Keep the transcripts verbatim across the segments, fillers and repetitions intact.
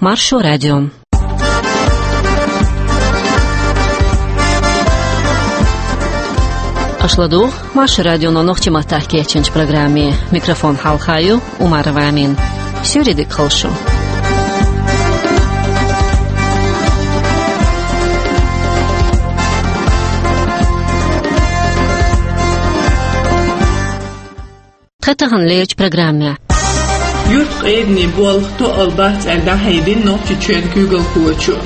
Маршо радио. Аша ладугӀу Маршо радионо нохчийн маттахь кечйинчу программе. Микрофон хьалха ю Умарова Амина. Суьйре дика хуьлда шу. Тхан таханлерчу программехь. Юьртан къеданийн болх тоъал бац аьлла дӀахьедина Нохчийчоьнан куьйгалхочо.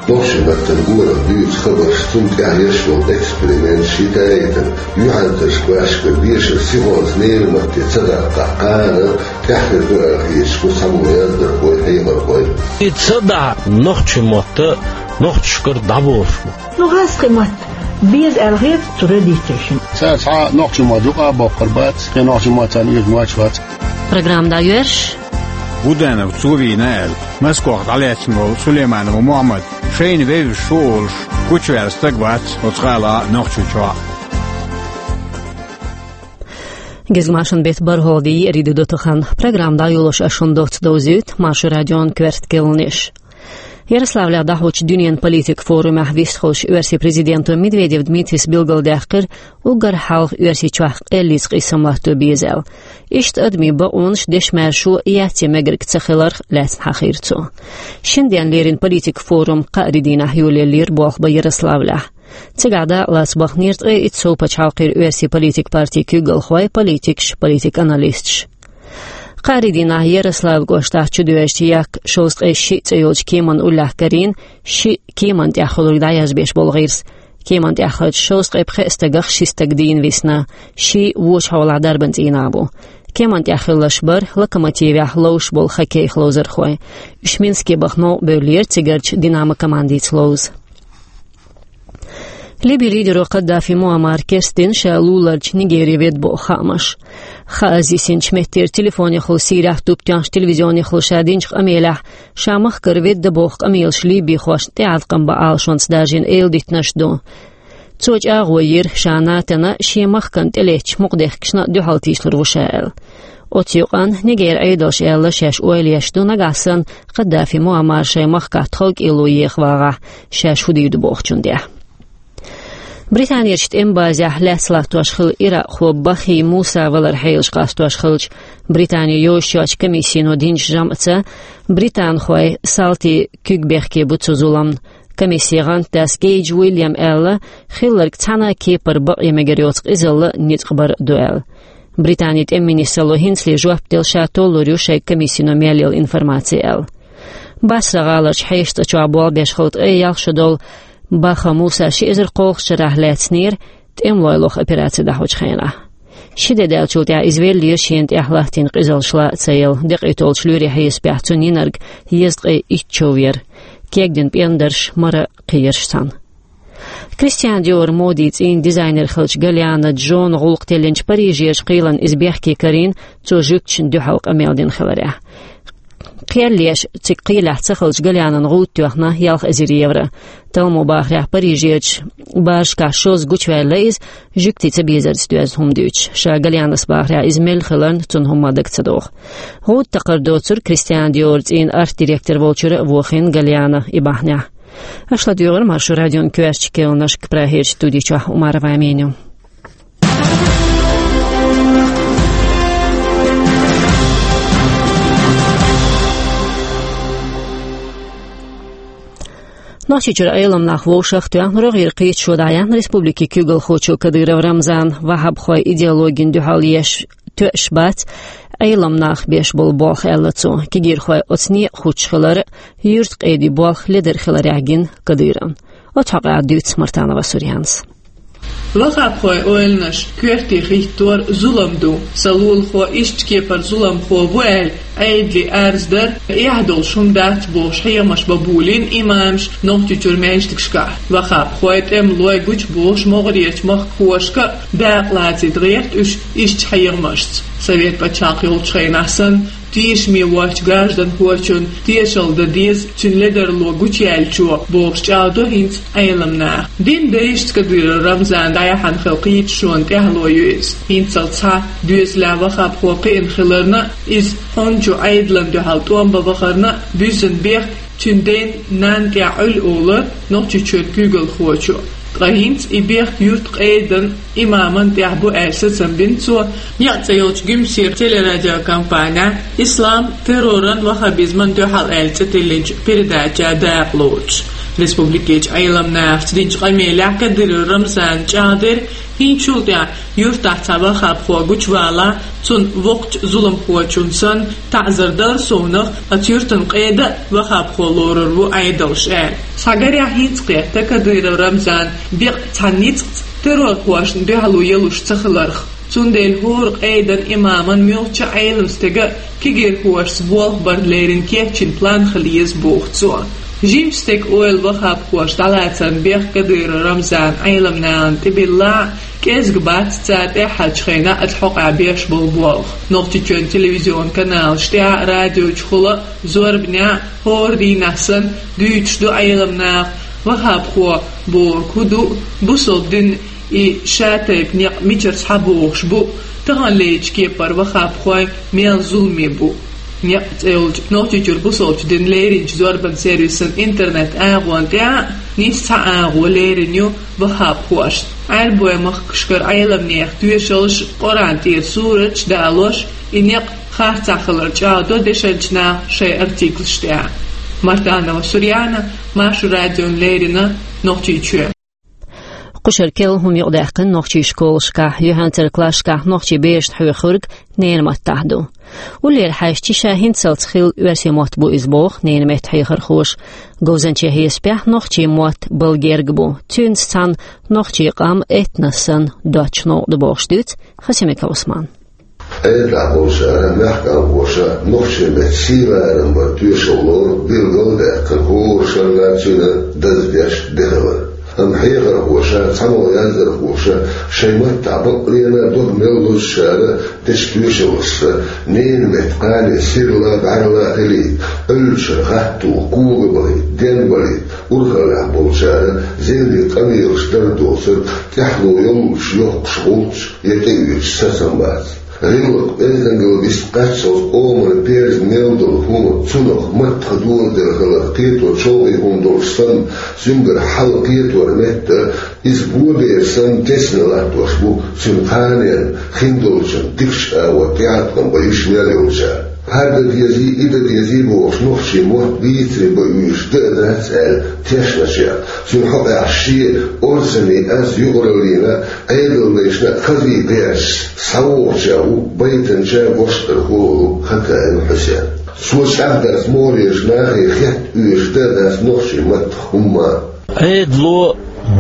Нохчийн маттана гора дуьйцу хабарш, цунна тӀехь еш болу эксперименташ, ши тайта, юьхьанцарш кхоьссича дешар сихонца лерина матте ца даккхахь, кхана тӀаьхьа хир ду аьлла хеташ бу цхьаболу яздархой, хьехархой. И ца дахь нохчийн мотт нохчашкара дӀаболуш бу. Ну, гӀазкхийн мотт беза аьлла хета цу родителашна. Цара цхьа нохчийн мотт юкъа а боккхур бац, кхин нохчийн мотт царна оьшуш моьттуш вац. Программа дӀайоьрзуш. Будановца вийна аьлла, Москвахь дӀалаьцна волу Сулейманов Мухьаммад шайна вевзаш ву олуш, гучуваьлла стаг вац оцу гӀала Нохчийчохь. Гезгмашин бетт бархӀалгӀа де еарин де ду тахана. Программа дӀайолош ас шуна доцца довзуьйту Маршо радион коьрта кхаьънаш. Ярославлехь дӀахьочу дуьненан политикан форумехь вистхуьлуш Оьрсийн президенто Медведев Дмитрис билгалдаьккхира, уггар хьалха Оьрсийчохь къеллица къийсам латто беза аьлла. Иштта адамийн бакъонаш дешнаш шо яц я мегарг ца хиларх лаьцна хьахийра цо. Шина денна лерина политикан форум кхаарин дийнахь йолаеллера болх бан Ярославлехь. Цигахь дакъалаца бахнера ткъе итт сов пачхьалкхера оьрсийн политикан партийн куьйгалхой, политикаш, политикан аналисташ. Кхаарин дийнахь Ярославль кӀоштахь чудоьжначу Як шовзткъе шиъ цӀе йолчу кеманна уллехь карийна шиъ кеманна тӀехь хуьлург дӀаязбеш болу гӀирс. Кеманна тӀехь хиллачу шовзткъе пхеа стагах ши стаг дийна висна, шиъ вочу хьолахь дарбан цӀийнах бу. Кеманна тӀехь хилларш бара Локомотивехь ловзуш болу хоккейх ловзархой. Уьш Минске баха новкъа бевллера цигарчу Динамо командица ловза. Ливин лидеро Каддафи Муаммара керстдина ша луларчу Нигере ведда боху хаамаш. Хааз йисинчу меттера телефонехула Сирехь туп тоьхначу телевизионехула ша динчу къамелехь, ша махкара ведда боху къамелаш ливихошна тӀеӀаткъам бан Ӏалашонца даржийна эладитанаш ду. Цо чӀагӀо йира, ша НАТОна, шен махкана тӀелеттачу мукъадехкашна дуьхьал тийшлур ву ша аьлла. Оцу юкъанна Нигеран Ӏедалша аьлла, шаьш ойла еш ду нагахь санна Каддафи Муаммар шайн махкахь тховкӀело еха вагӀахь, шаьш хӀун дийр ду бохучун тӀехь. Британерчу тӀеман базехь лаьцна латтош хилла иракхо Бахи Муса валар хьелаш къастош хилча, Британин йозуш йоцчу комиссино динчу жамӀца, британхой салтий куьг бехке бу цу зуламна. Комиссин гӀантдас Гейдж Уильям аьлла, хилларг цхьана а кепара бакъ я мегар йоцу къизалла ницкъ бар а ду аьлла. Британин тӀеман министралло хӀинцале жоп делла ша толлур ю шайн комиссино мел йолу информаци аьлла. Басра гӀаларчу хьешан цӀа чохь болх беш хилла ткъе ялх шо долу Баха Муса ши эзар кхоалгӀачу шарахь лаьцнера, тӀемалой лоха операци дӀахьочу хенахь. Ши де даьллачул тӀаьхьа иза веллера шена тӀехь латтийна къизаллаш лаа а ца елла, декъий толлучу лоьрийн хьесапехь цунна йинарг езткъе итт чов яра. Кегдина пӀендарш, мара кхиерш цхьаьна. Кристиан Диор модин цӀийнан дизайнер хиллачу Галиана Джона гӀуллакх теллинчу Парижерчу кхелана иза бехке карийна, цо жуьгташна дуьхьал къамел дина хиларехь. Кхел еш, цига кхелехь ца хиллачу Галианан гӀуда тоьхна ялх эзар евро. Талламо бахарехь, Парижерчу барашкахь шозза гучуваьлла иза, жуьгтийн цабезарца доьзна хӀума дуьйцуш. Ша Галианас бахарехь, иза мел хиларна цунна хӀумма дага ца догӀу. ГӀуда такхар доцург Кристиан Диор цӀийнан арт-директор волчуьра а вохийна Галиана и бахьанехь. Аша ладуьйгӀира Маршо радион коьртачу кхаьънашка, Прагерчу студи чохь Умарова Амина ю. Нохчийчуьра Ӏеламнах вовшах а тоьхна, рогӀера кхеташо дӀаяьхьна республикин куьйгалхочо Кадыров Рамзана. Ваххабхойн идеологина дуьхьал еш тоьаш бац Ӏеламнаха беш болу болх, аьлла цо. Кегийрхой оцу некъа хӀуттуш хилар а, юьртан къедин болх ледара хиларехь гина Кадыровна. Оцу хьокъехь дуьйцу Мартанова Сурьянас. Ваххабхойн ойланаш коьрте хӀиттор зулам ду, сан лулахо иштта кепара зуламхо ву аьлла, Ӏедале арз дар эхь долуш хӀума дац бохуш хьехамаш бан болийна имамаш Нохчийчуьра маьждигашкахь. Ваххабхой, тӀемалой гучубохуш могӀарерчу махкахошка а дакъа лацийта гӀерта уьш иштта хьехамашца. Совет пачхьалкх йолчу хенахь санна, тешаме воцчу гражданхочун тешалла дан деза цуьнан ледарло гучуяьллачо, бохуш чӀагӀдо хӀинца Ӏеламнаха. Дин бешица Кадыров Рамзана дӀаяхьна хилла кхеташонан тӀаьхьало ю иза. ХӀинццалц схьа доьзалехь ваххабхо кхиъна хиларна а, иза хьун чу Ӏедална дуьхьал тӀом бан вахарна а буьззина бехк Цуьнан ден-нанна тӀехь Ӏуьлла олу Нохчийчоьнан куьйгалхочо. Ткъа хӀинца и бехк юьртан къедан имаман тӀехь бу аьлла сацам бина цо, некъ цӀе йолчу Гуьмсера телерадиокомпанехь «Ислам терроран, ваххабизман дуьхьал» аьлла цӀе тиллинчу передачехь дакъа лоцуш. Республикерчу Ӏеламнахаца динчу къамелехь Кадыров Рамзана чӀагӀдира, хӀинцачул тӀаьхьа юьртахь цхьа ваххабхо гучувалахь, цунна воккхачу зуламхочунна санна таӀзар дара совнах, оцу юьртан къеда а ваххабхо лорур ву Ӏедалш аьлла. Схьагарехь хӀинца кхетта Кадыров Рамзанан бекъа цхьа ницкъаца террорхошна дуьхьало ялуш ца хиларх. Цундела хӀора къедан имаман муьлххачу Ӏелам стеган кегийрхошца болх бар леррина кечйина план хила еза боху цо. Жимачу стеган ойла ваххабхошна дӀалацарна бехк Кадыров Рамзана Ӏеламнахана тӀебиллахь а, кӀезга бац цара тӀаьххьарчу хенахь оцу хьокъехь беш болу болх. Нохчийчоьнан телевизион каналаш тӀехь а, радиочухула а, зорбанехь а хӀора дийнахь санна дуьйцуш ду Ӏеламнаха, ваххабхо бохург хӀун ду, бусалба дин и шатайпа некъ мичара схьабогӀуш бу, таханлерчу кепара ваххабхой мел зуламе бу. Некъ цӀе йолчу Нохчийчуьра бусалбачу динан леринчу зорбанан сервисан интернет-агӀонна тӀехь а нийса цхьа агӀо лерина ю ваххабхошна. Ӏаьрбойн махкашкара Ӏеламнехан тоьшаллаш, Къуръан тӀера сураташ далош, и некъ харцахь хилар чӀагӀдо дешначу наха шайн артиклаш тӀехь. Мартанова Сурьяна, Маршо радиона леррина, Нохчийчоь. Кху шарахь керла хӀума юкъадаьккхина нохчийн школашкахь, юьхьанцарчу классашкахь нохчийн берашна хьоьхург ненан маттахь ду. Уллера хьаьжча, ша хӀинццалц хилла оьрсийн мотт бу иза, боху ненан меттан хьехархоша. Говзанчийн хьесапехь нохчийн мотт балла герга бу. Цуьнца цхьаьна нохчийн къам этнос санна доцчу новкъа ду бохуш дуьйцу Хасимиков Ӏусмана. Ӏедалехь болчара, мехкан божарша нохчийн меттан сий-ларам баран тоьшалла лору билгал а даьккхина, хӀора шарахь цуьнан даздеш де хилар. Амма хьехархоша, цхьамогӀа яздархоша шайн маттахь баккъалла а дог мел лозучара дечу тоьшаллашца ненан меттан кхане сирла а, бӀаьрла а хилийта, Ӏуьллучуьра гӀатто, кога а бахийта, денбалийта, урхаллехь болчара зенде къамелаш дар доцург тӀаьхьало йоллуш йохкуш гӀулч я тӀеоьцуш сацам бац. ГӀиллакх, эзангал вист кхаччалц къоман перза мел долу хӀума, цунах маттах доладелла хилар кхето чӀогӀа хӀума долуш санна, цуьнгара хьал кхетор меттара, иза бобер санна тесна латтош бу цуьнан кханенна, хиндолчун дикачу агӀор тӀеӀаткъам бан йиш мел йолчара. ХӀара дан дезий, и дан дезий бохуш, нохчийн мотт бийцаре бан оьшуш дан а дац аьлла тешначех, цуьнан хьокъехь шен орцанний аз юкъараллина Ӏедалдайшна а хаза баьрчаш схьавогӀучех ву байтанча, гочдархо волу Хакаев Хьусен. Цо чӀагӀдарца могӀарерчу нахе хетта оьшуш дан а дац нохчийн маттах хӀумма а. Ӏедало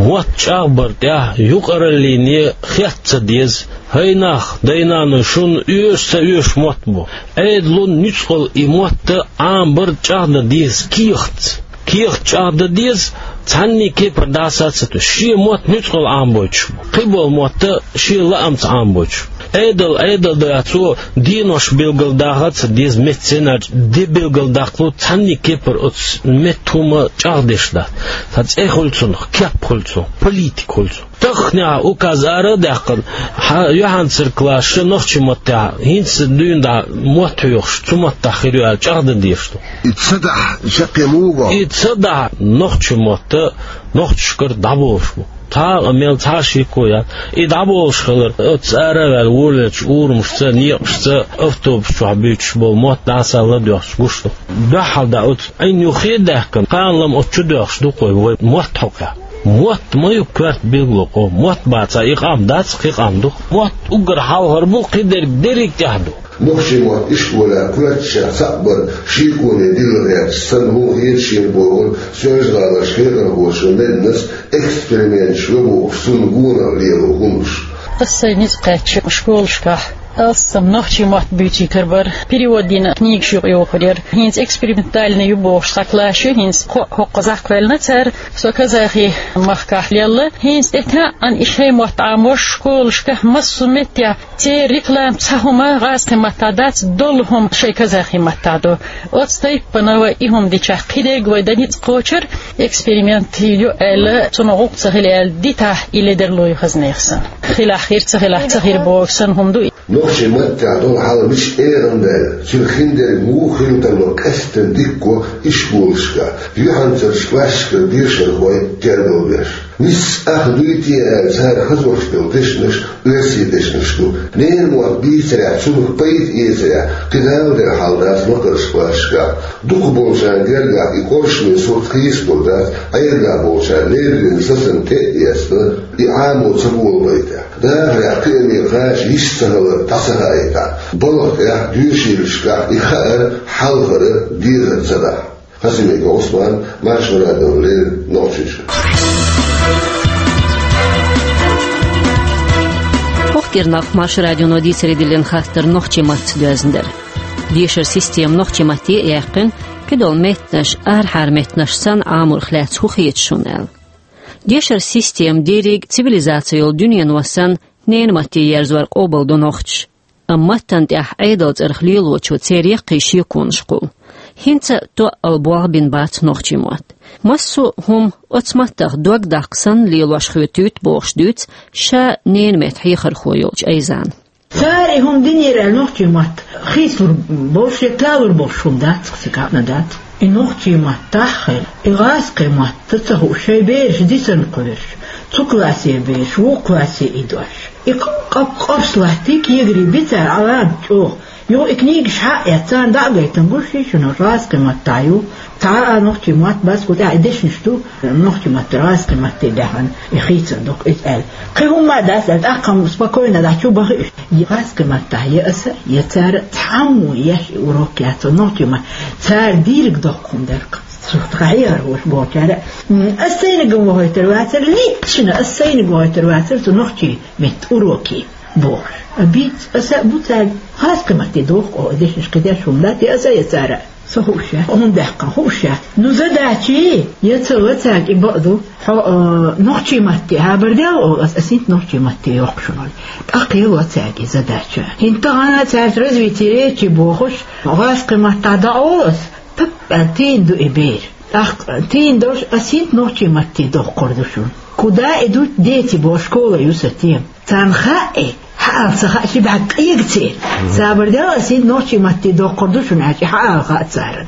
мотт чӀагӀбар тӀехь юкъараллине хетта ца деза, хӀай нах, дай-наной, шуна оьшу ца оьшу мотт бу. Ӏедало нуьцкъала и мотт Ӏамабар чӀагӀдан деза кехатца. Кехат чӀагӀдан деза, цхьанний кепара дӀасаца а туьйсуш, шен мотт нуьцкъала Ӏамабойтуш бу. Кхиболу мотт шен лаамца Ӏамабойтуш бу. Ӏедал, Ӏедал дац, цо денош билгалдаха а ца деза, меттан цӀенарчу де билгалдаккхалу, цхьанний кепара оцу меттан хӀума чӀагӀдеш дац. Цхьа цӀе хуьлу цунах, кеп хуьлу цунах, политика хуьлу цунах. Тахханехь указ ара а даьккхина, хьан юьхьанцара классаша нохчийн маттахь хӀинца дуьйна дӀа мотт хьоьхуш, цу маттахь хир ю аьлла чӀагӀдан дезаш ду. И ца дахь, чаккхе муха? И ца дахь, нохчийн мотт нохчашкара дӀаболуш бу. Цхьа а мел, цхьа а шеко яц. И дӀаболуш хилар, оцу ара а ваьлла, волавеллачу урамашца, некъашца, автобус чохь буьйцуш болу мотт дӀасалла а доьхуш гуш ду. Дуьххьал дӀа оцу Ӏин юххе а даьккхина, кхана-лама оцу чу доьхуш ду-кх вай, вай мотт хьокъехь. Мотт ма ю коьрта билгало, кхо мотт бацахь, и къам дац, кхин къам ду. Мотт уггар хьалхара бу, кхидерг дерриг тӀехь ду. Нохчийн мотт ишколехь коьртачех цхьаъ бар шеконе дилла гӀерташ санна хӀума хета шена бохура Соьлжа-ГӀаларчу хьехархочо Меданас, эксперименташ йо бохуш, цунна гонах лело хӀуманаш. Ас сайн ницкъ кхаьчча школашкахь алссам нохчийн мотт буьйций карабар, перевод йина книгаш юкъайохур яра. ХӀинца экспериментальный ю бохуш цхьа класс ю, хӀинца кхоъ хӀокхузахь кхоьллина цара. Со казахи махкахь лелла. ХӀинца тӀетаьӀӀана и шайн мотт Ӏамош школашкахь массо а меттехь церан реклама цхьа хӀума гӀазкхийн маттахь дац, долу хӀума шайн казахи маттахь ду. Оцу тайпана вай и хӀума дичахь, кхидерг вай дан ницкъ кхочура, эксперимент ю аьлла, цунах гӀуллакх ца хили аьлла дитахь, и ледарло ю хаза нехан санна. Хилахь хир, ца хилахь ца хир бохуш санна хӀума ду и. Нохчийн маттехь долу хьал мича эгӀна даьлла, цуьнан хиндерг муха хилла тарло къаьсттина дика го ишколашкахь, юьхьанцарчу классашкара дешархой тергалбеш. Нийсса ах дуй те аьлла, цара хазош долу дешнаш оьрсийн дешнаш ду. Ненан мотт бийцарехь, цунах пайда эцарехь, кхин дала дерг хьал дац лакхарчу классашкахь. Дукхахболчарна гергахь и къоршаме сурт хийцалур дац, Ӏедалехь болчара леррина сацам тӀе а эцна, и Ӏамо ца болабайтахь. Дахарехь кхиаме кхача йиш ца хилар дӀа ца хаийтахь, балха тӀехь, доьшийлашкахь и хаар хьалхара дезар ца дахь. Хасимиков Ӏусман, Маршо радиона леррина Нохчийчуьра. ХӀокху кӀирнах Маршо радионо дийцаре диллина хаттар нохчийн маттаца доьзна дара. Дешаран система нохчийн матте а яьккхина, кхидолу меттанаш арахьара меттанаш санна Ӏаморх лаьцна хӀун хета шуна аьлла. Дешаран система дерриг а цивилизаци йолу дуьнено санна ненан матте ерзор къобалдо нохчаша. Амма маттана тӀехь Ӏедалан цӀарах лелочо церан яккхий шеконаш кхуллу. ХӀинца а тоъал болх бина бац нохчийн мотт. Массо а хӀума оцу маттах дог даккха санна лелош хетуьйту бохуш дуьйцу ша ненан меттан хьехархо йолчу Айзана. Цара и хӀума динера аьлла нохчийн мотт хийцалур болуш я талур болуш хӀума дац-кх, сан кхаъна дац. И нохчийн маттахь а хилла, и гӀазкхийн мотт ца хууш, шайн бераш дисина кхоьруш, цу классе бераш, вукху классе идош. И къап-къапс латтий, кегий би цара, Ӏаламат чӀогӀа. Юха и книгаш хьа а эцна, царна дӀа а гайтина, гуш ю шуна, гӀазкхийн маттахь ю. Цхьа а нохчийн мотт бац, кху тӀехь и дешнаш ду, нохчийн маттара гӀазкхийн матте даьхна, и хийцар ду-кх иза аьлла. Кхин хӀумма а дац аьлла, тӀаккха-м спокойно дӀа чу баха уьш. Я гӀазкхийн маттахь, я аса, я цара цхьаммо еш и урок яц, нохчийн мотт. Цара дийриг доккха хӀума дара-кх. Цу тхан хьехархоша бохучара, м, ас сайниг вахийтар вацара, личчина ас сайниг вахийтар вацара цу нохчийн меттан уроке бохуш. А бийц аса а бу цаьрга, гӀазкхийн матте доху-кх оха дешнаш, кхидерш хӀума дац, я аса, я цара. Со хууш яц, хӀунда даьккхина хууш яц. Ну, задача я ца ло цаьрга, и бакъ ду. Хьо, а, нохчийн матте хьабар дел олу ас, ас хӀинца нохчийн матте йоккхуш ву олий. ТӀаккха ло цаьрга и задача. ХӀинца тахана цаьрца развитие речи бохуш, гӀазкхийн маттахь дӀаолу ас, тап аьлла тийна ду и бер. ТӀаккха тийна долуш, ас хӀинца нохчийн матте доккхур ду шуна. Куда идут дети боху школа ю сан тема. Царна хаьа, хьаала ца хаьа, ши бӀаьрг къега церан. Сабар дел, ас хӀинца нохчийн матте доккхур ду шуна аьлча, хьаала хаьа царна.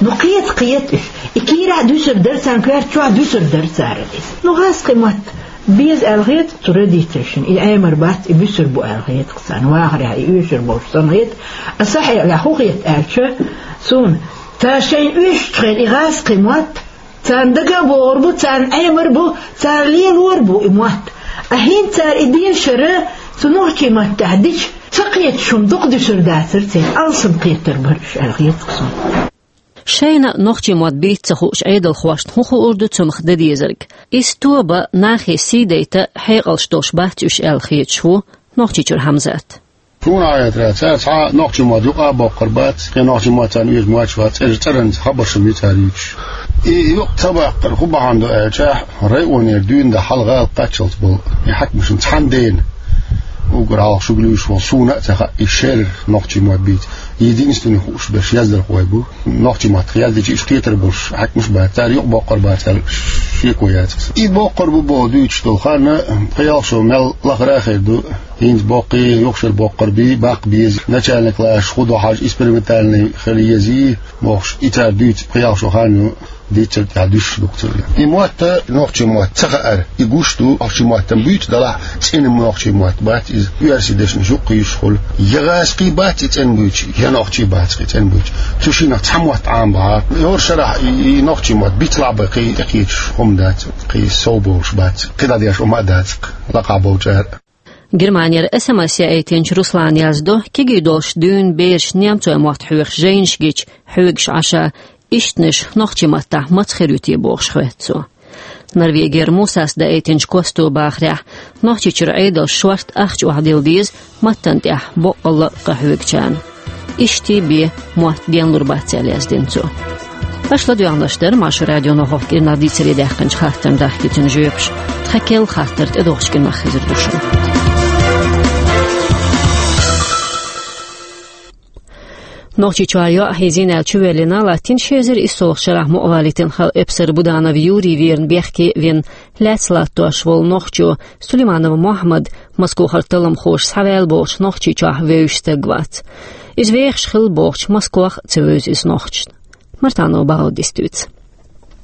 Ну, кхета, кхета уьш. И кийрахь дуьсур дара царна, коьрта чохь дуьсур дара царна иза. Ну, гӀазкхийн мотт беза аьлла хета цу родителашна, и Ӏемар бац, и буьсур бу аьлла хета-кх царна, вахарехь и оьшур болуш санна хета. Аса хьекъалехь хӀун хета аьлча, суна, цара шайна оьшучу хенахь и гӀазкхийн мотт царна дага а богӀур бу, царна Ӏемар бу, цара лелор бу и мотт. А хӀинца цара и дешар цу нохчийн маттахь дича, ца кхеташ хӀума дукха дуьсур дацара церан, алсам кхетар бара уьш аьлла хета-кх суна. Шайна нохчийн мотт бийца ца хууш Ӏедалхошна хӀун хуур ду цунах дан дезарг? Иза тоба, нахе сий дайта хьекъалш долуш бац уьш аьлла хеташ ву Нохчийчуьра Хьамзат. Суна хетарехь, цара цхьа нохчийн мотт юкъа а боккхур бац, кхин нохчийн мотт царна оьшуш моьттуш вац, цӀераш цӀеран хабарш ма ю цара юьйцуш. И юкъа ца баккхар хӀун бахьана ду аьлча, районера дуьйна дан хьалха гӀала кхаччалц болу и хьаькамашна цхьана дена, уггар хьалха шуьга луьйш волу, суна а ца хаьа, и шерра нохчийн мотт бийца. Единственный хууш берш яздархой бу. Нохчийн маттах яздича, уьш кхетар болуш хьаькамаш бац, цара юкъа боккхур бац аьлла шеко яц-кх сан. И боккхур бу боху дуьйцуш долу хан, пхи-ялх шо мел лахара а хир ду. ХӀинца боккхий, юха шура боккхур бий, баккха беза, начальный классаш хӀун ду хьажа, экспериментальный хила езий бохуш, и цара дуьйцу пхи-ялх шо хан ю, дийцар тӀехь дуьсуш ду-кх церан. И мотт, нохчийн мотт ца хаар, и гуш ду, нохчийн мотт-м буьйцу делахь, цӀена нохчийн мотт бац иза, оьрсийн дешнаш юккъе йиш хуьлу. Я гӀазкхий бац и цӀена буьйцу, я нохчий бац-кх и цӀена буьйцу. Цу шиннах цхьа мотт Ӏамабахьа, хӀора шарахь и, и нохчийн мотт бицлахь бен кхин тӀекхеташ хӀума дац, кхин сов болуш бац, кхидӀа деш хӀума а дац-кх лакхахь болчара. Германера СМС яийтинчу Руслана яздо, кегий долуш дуьйна бераш немцойн мотт хьоьхуш жайнаш гича, хьоьгуш Ӏаш, ишттанаш нохчийн маттахь маца хир ю те бохуш хоьтту цо. Норвегера Мусас даийтинчу Косто бахарехь, Нохчийчуьра Ӏедалша шорта ахча охьадилла деза, маттана тӀехь боккъалла а къахьоьгучарна. Иштта бен мотт денлур бац аьлла яздина цо. Аша ладоьгӀнарш дара Маршо радионо хӀокху кӀирнах дийцаре даьккхинчу хаттарна дахкийтина жоьпаш. Тхан керла хаттар тӀедогӀучу кӀирнах хезар ду шуна. Нохчийчохь йоӀ хьийзийна аьлла чувоьллина, латтийна ши эзар иссалгӀачу шарахь мукъа валийтина хала эпсар Буданов Юрий верна бехке а вина, лаьцна латтош волу нохчо Сулейманов Мохьмад Москохара талламхоша схьаваьлла бохучу Нохчийчохь вевзаш стаг вац. Иза вехаш хилла бохучу Москох а ца вевза иза нохчашна. Мартанов Баудис дуьйцу.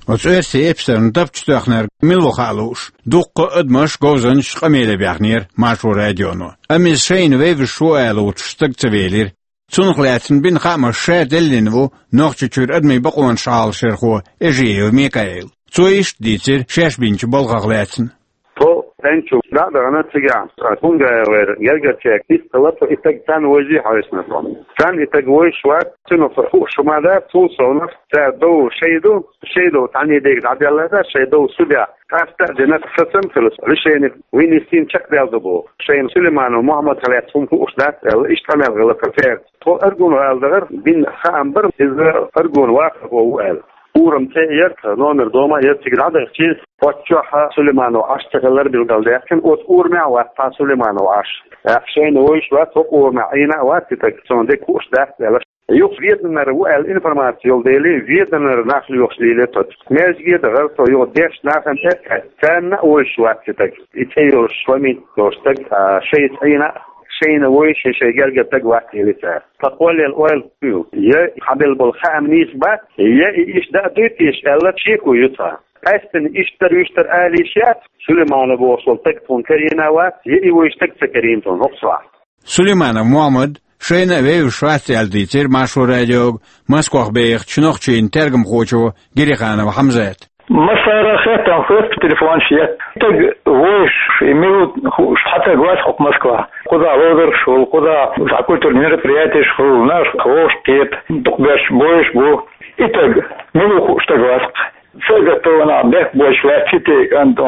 Оцу оьрсийн эпсарна тапча тоьхнарг мила ву хаа лууш, дуккха а адамаш, говзанчаш къамеле баьхнера Маршо радионо. Амма иза шайна вевзаш ву ала лууш стаг ца велира. Цунах лаьцна бина хаамаш ша деллина ву Нохчийчуьра адамийн бакъонаш Ӏалашъярхо Эжиев Микаил. Цо иштта дийцира шаьш бинчу балхах лаьцна. Тхо ТӀенчу дӀа а дахана цигахь, Хунгаевера гергарчаьрга дистхилар, тхо и стаг царна вевзий хьовсийна тхо. Царна и стаг вевзаш вац, цунах хууш хӀума дац, цул совнаха цара дов шай ду, шай дов цхьаьннега дӀаделла дац, шай дов судья къаста а дина, сацам а хилла, решение вынести чекхдаьлла ду боху. Шайна Сулейманов Мохьмадах лаьцна хӀума хууш дац аьлла, иштта къамел хилла церца. Тхо Аргунах ала дахара, бина хаам бара, иза Аргун вахархо ву аьлла. Урам цӀе а яра, номер дома а яра, цига дӀадахча, оццу чохь Сулейманов Ӏаш ца хилар билгалдаьккхина, оцу урамехь а вац цхьа Сулейманов Ӏаш. ТӀаккха шайна вевзаш вац, хӀокху урамехь Ӏийна а вац и стаг, цунна дерг хууш дац аьлла. Юха Веданара ву аьлла информаци йолу дела, Веданара нах лоьхуш лелийра тхо. Маьждиге а дахара тхо, юха дешна нахана тӀе а хаьттина, царна а вевзаш вац и стаг. И цӀе йолуш, фамилия йолуш стаг, а, шайца Ӏийна а, шайна вевзаш, шайн гергара стаг вац элира цара. Ткъа кхоллаелла ойла ю, я хьабелла болу хаам нийса бац, я и иштта дӀа а дуй теша аьлла, шеко ю цхьа. Къаьсттина иштта-вуьштта ала йиш яц, Сулейманов бохуш волу стаг тхуна карийна а вац, я и вевзаш стаг ца карийна тхуна хӀокху сохьта. Сулейманов Мохьмад шайна а вевзаш вац аьлла дийцира Маршо радиога Москох бехачу нохчийн тергамхочо Гириханов Хьамзата. Массара а хеттарш хӀоьттина, телефонаш етта. Стаг вевзаш, и мила ву хууш цхьа стаг вац хӀокху Москвахь. Кхузахь лазарш хуьлу, кхузахь цхьа культурни мероприятеш хуьлу, нах вовшах кхета, дукхахберш бовзаш бу. И стаг мила ву хууш стаг вац-кх. Сагатонахь бехк боцуш вац-кх и кӀант,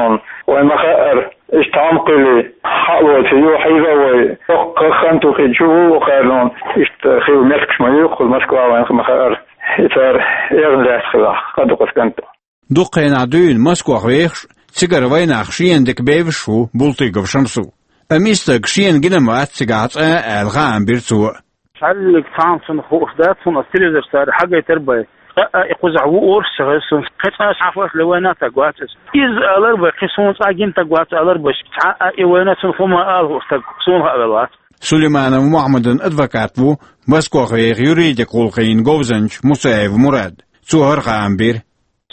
вайн ма-хаъара, иштта тхьамма кхуьли хьалоцу ю, хьийза а вай, хӀокху хан тухий чу ву кхарнон, иштта хила меттигаш ма ю кхуза Москва, вайн ма-хаъара. И цара эгӀна лаьцна хилахь, къа ду-кх оцу кӀанта. Дукха хенахь дуьйна Москох вехаш, цигара вайнах шена дика бевзаш ву Бултыгов Шамсу. Амма и стаг шена гина ма вац цигахь цкъа а аьлла, хаам бира цо. Цхьаьллиг цхьамма цунах хууш дац, хӀунда аьлча телевизор цара хьагайтира бай. Цкъа а и кхузахь ву олуш ца хеза суна, кхин цкъа а шахьош ле вайна стаг вац иза. Иза алар бай, кхин суна цкъа а гина стаг вац алар бай, цхьа а и вайна цунах хӀума ала хууш стаг суна хаавелла вац. Сулейманов Мохьмадан адвокат ву Москох веха юридик гӀуллакхийн говзанча Мусаев Мурад. Цо хӀара хаам бира.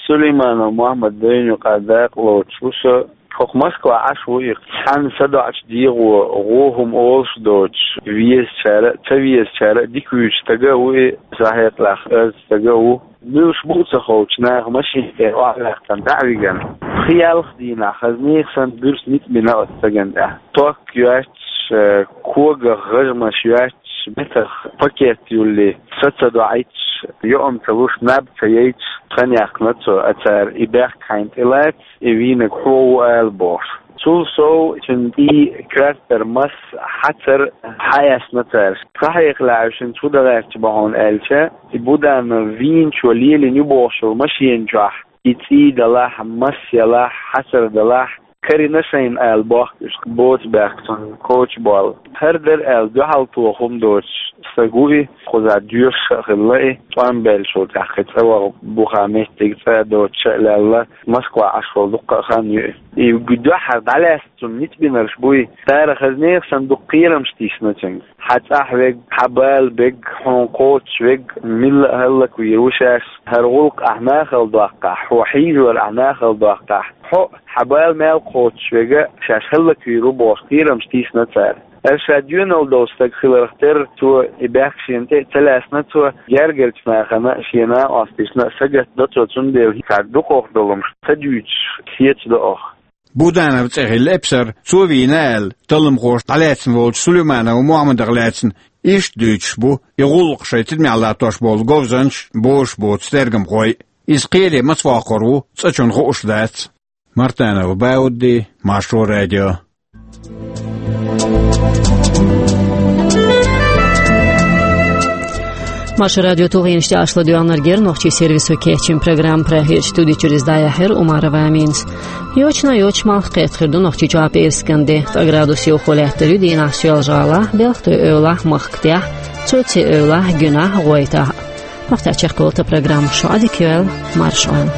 Сулейманов Мохьмад дайна юкъа дакъа лоцуш ву со. ХӀокху Москва Ӏаш ву и, цхьана садоӀучу дегӀо гӀо хӀума олуш доцуш, везачара а, ца везачара а дика вуьйцу стаг а ву и, со хьекъалехь, аз стаг а ву. Муьлш бу а ца ховчу наха машина тӀера охьаваьккхина дӀа а вигна, пхи-ялх дийнахь хаза нехан санна буьрса ницкъ бина оцу стагана тӀехь. Ток йоьттуш, когах гӀажмаш йоьттуш, метах пакет юллий, са ца доӀуьйтуш, йоӀам ца луш, наб ца яйтуш, хан яьккхина цо, а цара и бехк хьайна тӀелаца, и вийнарг хьо ву ала бохуш. Цул сов цуьнан и коьртара масса хьацар хьаэцна цара. Сан хьекъалехь, уьш хӀинца хӀун дан гӀерташ бу хьуна аьлча, и Буданов вийначо лелийна ю бохуш йолу машена чохь и цӀий далахь, масса ялахь, хьацар далахь, карийна шайна ала бохку уьш, боцу бехк цунна коча болла. ХӀара дара аьлла дуьхьал тоха хӀума доцуш стаг ву и, кхузахь доьшуш а хилла и, тӀом баьллачул тӀаьхьа кхин цӀа ваха буха меттиг цӀа а доцуш а лелла, Москва Ӏаш волу дуккха а хан ю и. И дуьххьара дӀалаьцна цунна ницкъ бинарш буй, цара хаза нехан санна дукха кхерамаш тийсина цуьнга. Хьан цӀахь верг, хьан бала берг, хьуна кхочуш верг, милла а хӀаллаквийр ву шаьш, хӀара гӀуллакх ахь нахала доккхахь, хьо хьийзор ахь нахала доккхахь, хьо а, хьан бала мел кхочуш верг а шаьш хӀаллаквийр ву бохуш кхерамаш тийсина цара. Аса ша доьналла долу стаг хиларх терра, цо и бехк шена тӀе а ца лаьцна, цо гергарчу нахана а, шен накъосташна а сагатдо цо, цундела цара дукхах долу хӀумнаш ца дуьйцуш хеташ до оха. Буданов цӀе хилла эпсар, цо вийна аьлла, талламхоша дӀалаьцна волчу Сулейманов Мохьмадах лаьцна иштта дуьйцуш бу, и гӀуллакх шайн тидамехь латтош болу говзанчаш, бозуш боцу тергамхой. Иза кхеле маца воккхур ву, цкъачунна хууш дац. Мартанов Баудди, Маршо радио. Маршо радио тулгӀенаш тӀехь аш ладоьгӀнарг яра нохчийн сервисо кечйина программа. Прагерчу студи чуьра иза дӀаяьхьира Умарова Аминас. Йочана йоцуш малх кхетта хир ду Нохчийчохь пӀераскан де. Ткъа градус йовхо лаьттар ю дийнахь Соьлжа-ГӀалахь, Белхатуй-Эвлахь, Махкатехь, цуци эвлахь гуьнахь гъойтӀахь. Вахтаь чекхболта программа шу Ӏадика йойла, марша Ӏойла.